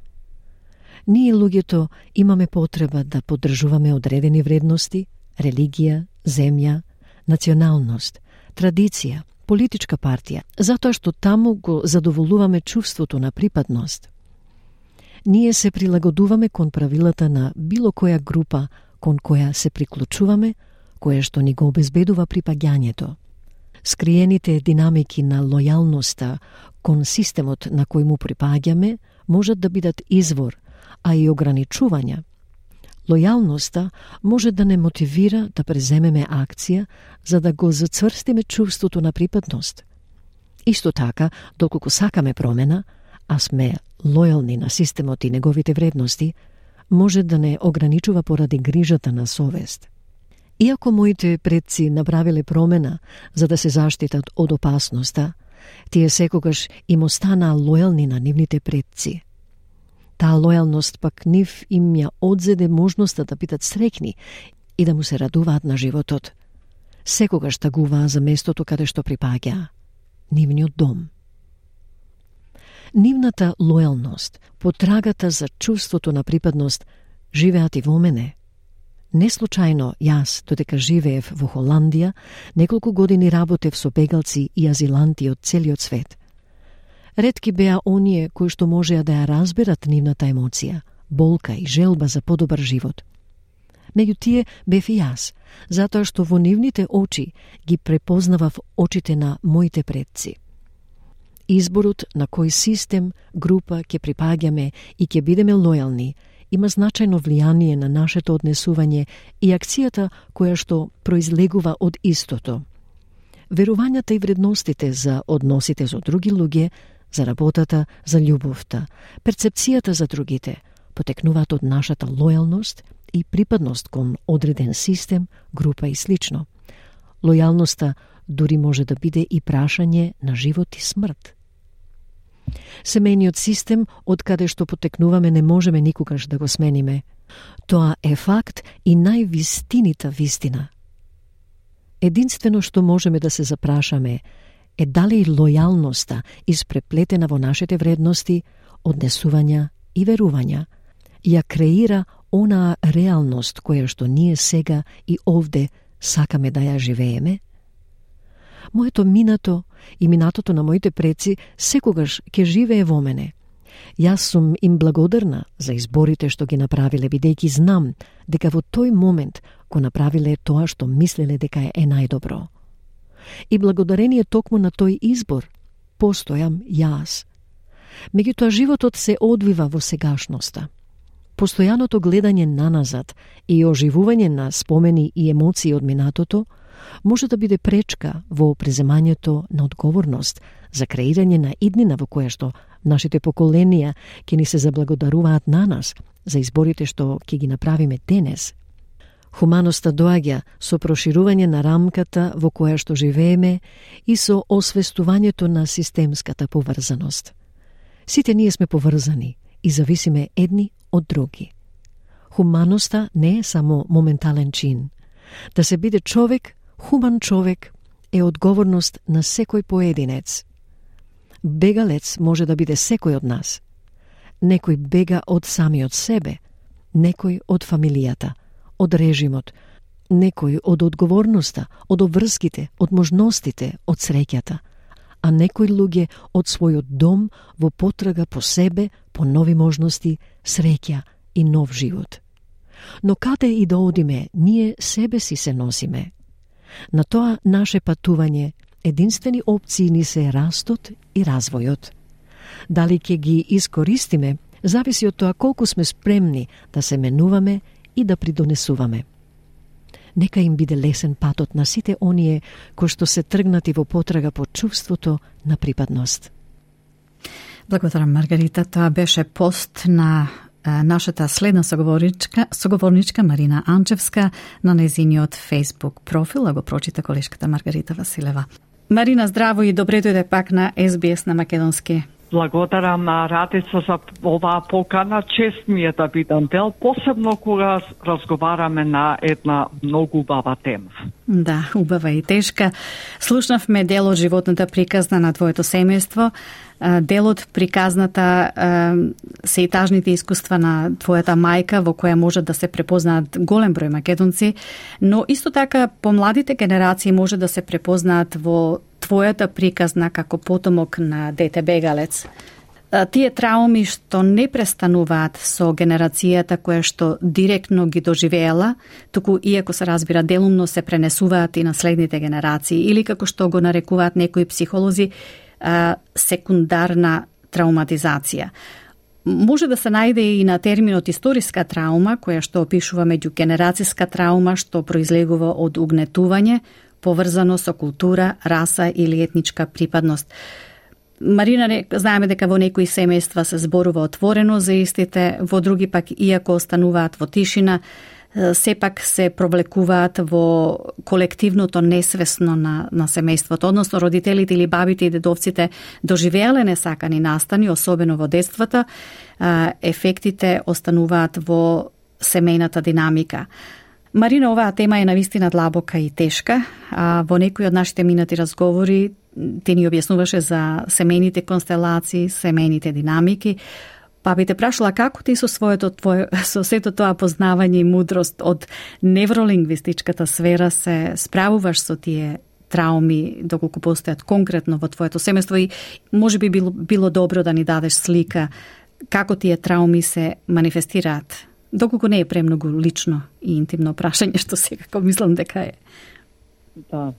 Ние луѓето имаме потреба да поддржуваме одредени вредности, религија, земја, националност, традиција, политичка партија, затоа што таму го задоволуваме чувството на припадност. Ние се прилагодуваме кон правилата на било која група кон која се приклучуваме, која што ни го обезбедува припаѓањето. Скриените динамики на лојалноста кон системот на кој му припаѓаме можат да бидат извор, а и ограничувања. Лојалноста може да не мотивира да преземеме акција за да го зацврстиме чувството на припадност. Исто така, доколку сакаме промена, а сме лојални на системот и неговите вредности, може да не ограничува поради грижата на совест. Иако моите предци направиле промена за да се заштитат од опасноста, тие секогаш им останаа лојални на нивните предци. Таа лојалност пак нив им ја одзеде можноста да бидат среќни и да му се радуваат на животот. Секогаш тагуваа за местото каде што припаѓаа, нивниот дом. Нивната лојалност, потрагата за чувството на припадност, живеат и во мене. Не случајно јас, додека живеев во Холандија, неколку години работев со бегалци и азиланти од целиот свет. Ретки беа оние кои што можеа да ја разберат нивната емоција, болка и желба за подобар живот. Меѓу тие бев и јас, затоа што во нивните очи ги препознавав очите на моите предци. Изборот на кој систем, група ќе припаѓаме и ќе бидеме лојални има значајно влијание на нашето однесување и акцијата која што произлегува од истото. Верувањата и вредностите за односите со други луѓе, за работата, за љубовта, перцепцијата за другите, потекнуваат од нашата лојалност и припадност кон одреден систем, група и слично. Лојалноста дури може да биде и прашање на живот и смрт. Семејниот систем, од каде што потекнуваме, не можеме никогаш да го смениме. Тоа е факт и највистинита вистина. Единствено што можеме да се запрашаме е дали лојалноста испреплетена во нашите вредности, однесувања и верувања ја креира онаа реалност која што ние сега и овде сакаме да ја живееме? Моето минато и минатото на моите предци секогаш ќе живее во мене. Јас сум им благодарна за изборите што ги направиле, бидејќи знам дека во тој момент го направиле тоа што мислеле дека е најдобро. И благодарение токму на тој избор постојам јас. Меѓутоа животот се одвива во сегашноста. Постојаното гледање наназад и оживување на спомени и емоции од минатото може да биде пречка во преземањето на одговорност за креирање на иднина во која што нашите поколенија ќе ни се заблагодаруваат на нас за изборите што ќе ги направиме денес. Хуманоста доаѓа со проширување на рамката во која што живееме и со освестувањето на системската поврзаност. Сите ние сме поврзани и зависиме едни од други. Хуманоста не е само моментален чин. Да се биде човек, хуман човек, е одговорност на секој поединец. Бегалец може да биде секој од нас. Некој бега од самиот себе, некој од фамилијата, од режимот, некој од одговорноста, од обврските, од можностите, од среќата, а некои луѓе од својот дом во потрага по себе, по нови можности, среќа и нов живот. Но каде и да одиме, ние себе си се носиме. На тоа наше патување единствени опции ни се растот и развојот. Дали ќе ги искористиме, зависи од тоа колку сме спремни да се менуваме и да придонесуваме. Нека им биде лесен патот на сите оние кои што се тргнати во потрага по чувството на припадност. Благодарам, Маргарита. Тоа беше пост на нашата следна соговорничка Марина Анчевска на нејзиниот Facebook профил, а го прочита колешката Маргарита Василева. Марина, здраво и добре дојде пак на SBS на македонски. Благодарам на Радица за оваа покана. Чест ми е да бидам дел, посебно кога разговараме на една многу убава тема. Да, убава и тешка. Слушнавме дел од животната приказна на твоето семејство, дел од приказната се и тажните искуства на твојата мајка, во која може да се препознаат голем број македонци, но исто така помладите генерации може да се препознаат во твојата приказна како потомок на дете бегалец. Тие трауми што не престануваат со генерацијата која што директно ги доживеела, туку иако се разбира делумно се пренесуваат и на следните генерации, или како што го нарекуваат некои психолози, секундарна трауматизација. Може да се најде и на терминот историска траума, која што опишува меѓугенерацијска траума што произлегува од угнетување, поврзано со култура, раса или етничка припадност. Марина, знаеме дека во некои семејства се зборува отворено за истите, во други пак, иако остануваат во тишина, сепак се провлекуваат во колективното несвесно на семејството, односно родителите или бабите и дедовците доживеале несакани настани, особено во детството, ефектите остануваат во семејната динамика. Марина, оваа тема е навистина длабока и тешка. Во некои од нашите минати разговори ти ни објаснуваше за семејните констелации, семејните динамики, па би те прашала како ти со со сето тоа познавање и мудрост од невролингвистичката сфера се справуваш со тие трауми, доколку постојат конкретно во твоето семејство, и може би било добро да ни дадеш слика како тие трауми се манифестираат, доколку не е премногу лично и интимно прашање, што секако мислам дека е. Да.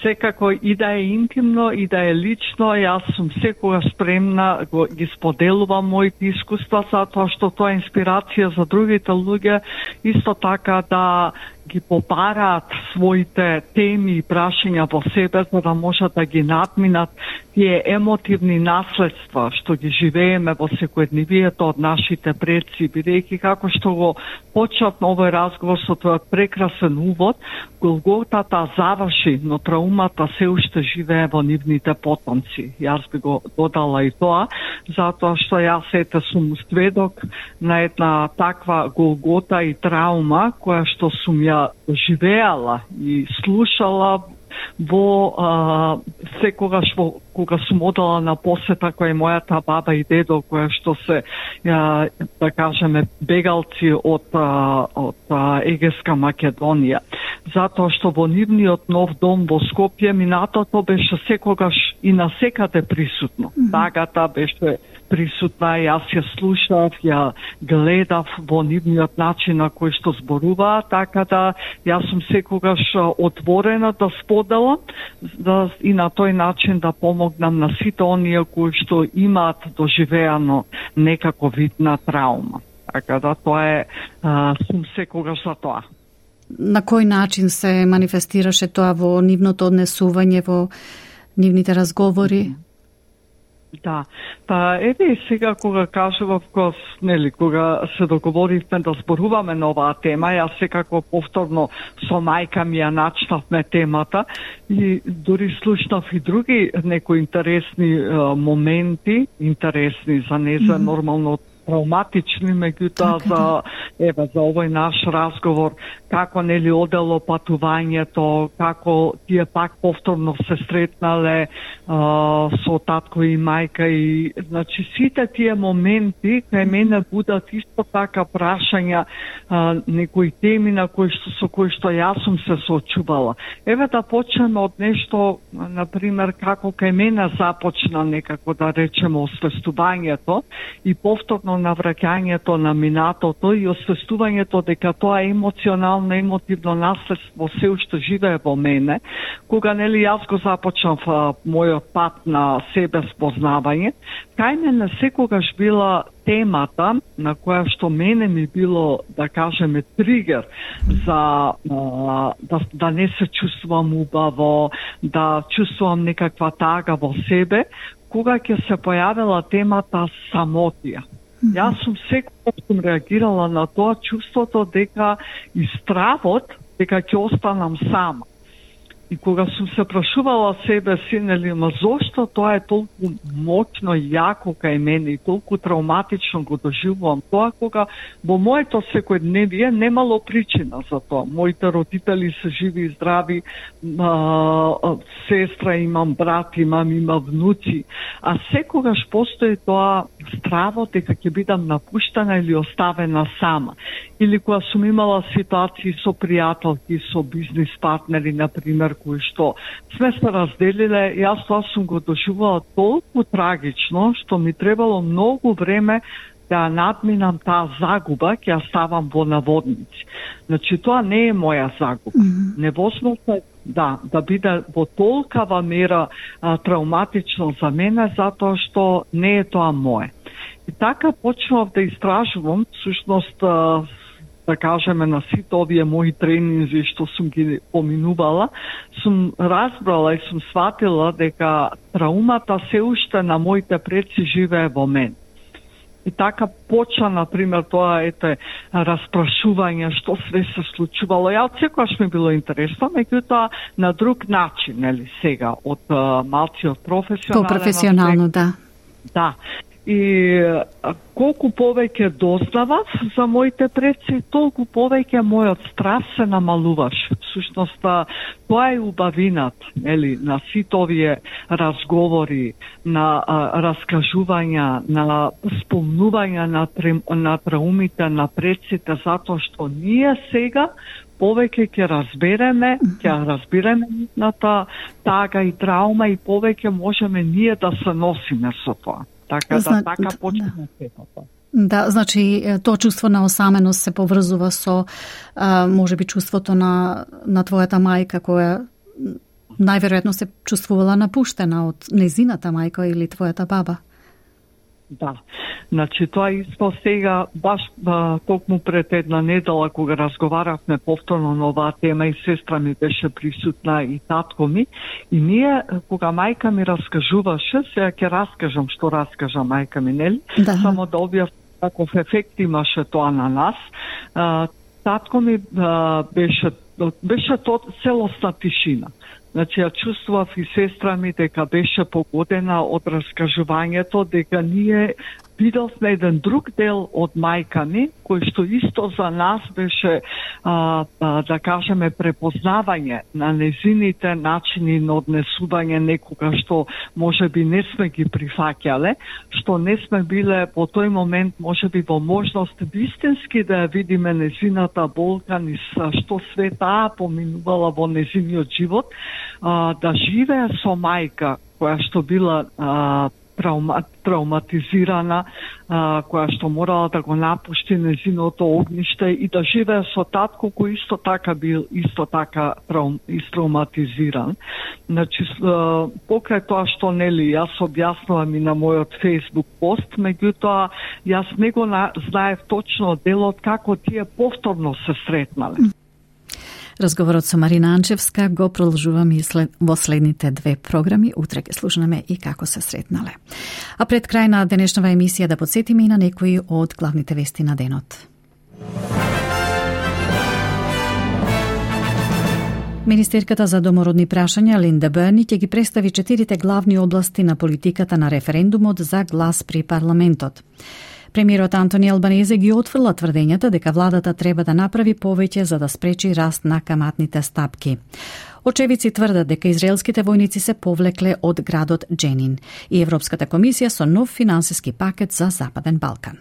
Секако и да е интимно, и да е лично, јас сум секогаш спремна ги споделувам моите искуства, затоа што тоа е инспирација за другите луѓе, исто така да ги побараат своите теми и прашања во себе, за да можат да ги надминат тие емотивни наследства што ги живееме во секојдневието од нашите предци, бидејќи како што го почнав на овој разговор со тој прекрасен увод, Голготата заврши, но траумата се уште живее во нивните потомци. Јас би го додала и тоа, затоа што јас ете сум сведок на една таква Голгота и траума, која што сум ја живеала и слушала во секогаш кога сум одела на посета која мојата баба и дедо, која што се да кажеме бегалци од Егејска Македонија, затоа што во нивниот нов дом во Скопје минатото беше секогаш и насекаде присутно. Тагата беше присутна, јас ја слушав, ја гледав во нивниот начин на кој што зборуваа, така да јас сум секогаш отворена да споделам и на тој начин да помогнам на сите оние кои што имаат доживеано некако вид на траума. Така да тоа е, сум секогаш за тоа. На кој начин се манифестираше тоа во нивното однесување, во нивните разговори? Да, па еве сега кога кажував, кога се договоривме да зборуваме на оваа тема, јас секако повторно со мајка ми ја начнавме темата и дури слушнав и други некои интересни моменти, интересни за неја нормално травматични, меѓутоа за овој наш разговор, како нели одело патувањето, како тие пак повторно се сретнале со татко и мајка, и значи сите тие моменти кај мене будат исто така прашања, некои теми на со кои што јас сум се соочувала. Еве да почнеме од нешто, например, како кај мене започна некако да речеме освестувањето и повторно навраќањето на минатото и освестувањето дека тоа емоционално, емотивно наследство се уште живее во мене, кога нели јас го започнав мојот пат на себе спознавање, кај мене секогаш била темата на која што мене ми било, да кажеме, тригер за да не се чувствувам убаво, да чувствувам некаква тага во себе, кога ќе се појавила темата самотија. Јас сум секогаш реагирала на тоа чувството дека и стравот дека ќе останам сама. И кога сум се прашувала себе си, нели, ма зошто тоа е толку моќно и јако кај мене и толку травматично го доживувам тоа, кога во моето секојдневие немало причина за тоа. Моите родители се живи и здрави, сестра имам, брат имам, има внуци, а секогаш постои тоа страво дека ќе бидам напуштена или оставена сама. Или кога сум имала ситуации со пријателки, со бизнис партнери, например, кои што сме се разделиле, јас тоа сум го доживувала толку трагично, што ми требало многу време да надминам таа загуба, ќе ја ставам во наводници. Значи, тоа не е моја загуба. Невозможно да биде во толкава мера травматично за мене, затоа што не е тоа мое. И така почнав да истражувам, всушност, да кажеме, на сите овие мои тренинзи што сум ги поминувала, сум разбрала и сум сватила дека траумата се уште на моите предци живее во мен. И така почна, например, тоа распрашување што све се случувало. Ја од секогаш ми било интересно, меѓутоа на друг начин, нели, сега, од малци од професионален. По-професионално, да. Да. И колку повеќе дознавав за моите предци, толку повеќе мојот страв се намалуваше. Всушност, тоа е убавината, нели, на сите овие разговори, на раскажувања, на спомнувања на траумите на предците, затоа што ние сега повеќе ќе разбереме нивната тага и траума и повеќе можеме ние да се носиме со тоа. Така почна сепата. Да, значи тоа чувство на осаменост се поврзува со можеби чувството на твојата мајка, која најверојатно се чувствувала напуштена од незината мајка или твојата баба. Да, значи тоа исто сега, баш токму пред една недела, кога разговаравме повторно на оваа тема и сестра ми беше присутна и татко ми, и ние, кога мајка ми раскажуваше, сега ќе раскажам што раскажа мајка ми, нели? Да. Само да објав каков ефект имаше тоа на нас. Татко ми беше тоа целосна тишина. Значи, ја чувствував и сестра ми дека беше погодена од раскажувањето, дека ние видовме еден друг дел од мајка ми, кој што исто за нас беше, да кажеме, препознавање на незините начини на однесување некога што можеби не сме ги прифаќале, што не сме биле во тој момент можеби во можност вистински да ја видиме незината болка, ни што све таа поминувала во незиниот живот, да живее со мајка која што била травматизирана, која што морала да го напушти незиното огниште и да живее со татко кој исто така бил истравматизиран. Значи, покрај тоа што, нели, јас објаснувам и на мојот Facebook пост, меѓутоа јас не го знаев точно делот како тие повторно се сретнале. Разговорот со Марина Анчевска го продолжуваме во следните две програми. Утре ќе слушнеме и како се сретнале. А пред крај на денешнава емисија да подсетиме и на некои од главните вести на денот. Министерката за домородни прашања Линда Берни ќе ги представи 4 главни области на политиката на референдумот за глас при парламентот. Премиерот Антони Албанезе ги отфрла тврдењата дека владата треба да направи повеќе за да спречи раст на каматните стапки. Очевици тврдат дека израелските војници се повлекле од градот Дженин и Европската комисија со нов финансиски пакет за Западен Балкан.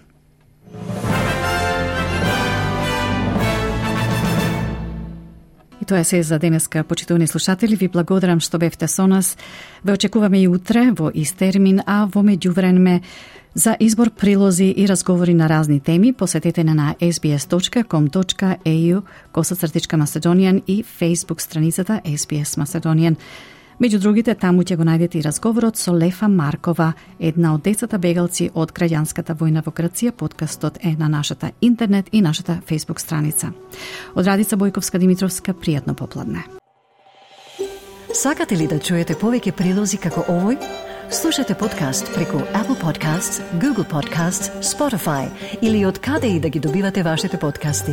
И тоа е се за денеска, почитувани слушатели. Ви благодарам што бевте со нас. Ве очекуваме и утре во ист термин, а во меѓувреме за избор, прилози и разговори на разни теми посетете на sbs.com.au/Macedonian и Facebook страницата SBS Macedonian. Меѓу другите, таму ќе го најдете и разговорот со Лефа Маркова, една од децата бегалци од граѓанската војна во Грција. Подкастот е на нашата интернет и нашата Facebook страница. Од Радица Бојковска Димитровска, пријатно попладне. Сакате ли да чуете повеќе прилози како овој? Слушате подкаст преку Apple Podcasts, Google Podcasts, Spotify или од каде и да ги добивате вашите подкасти.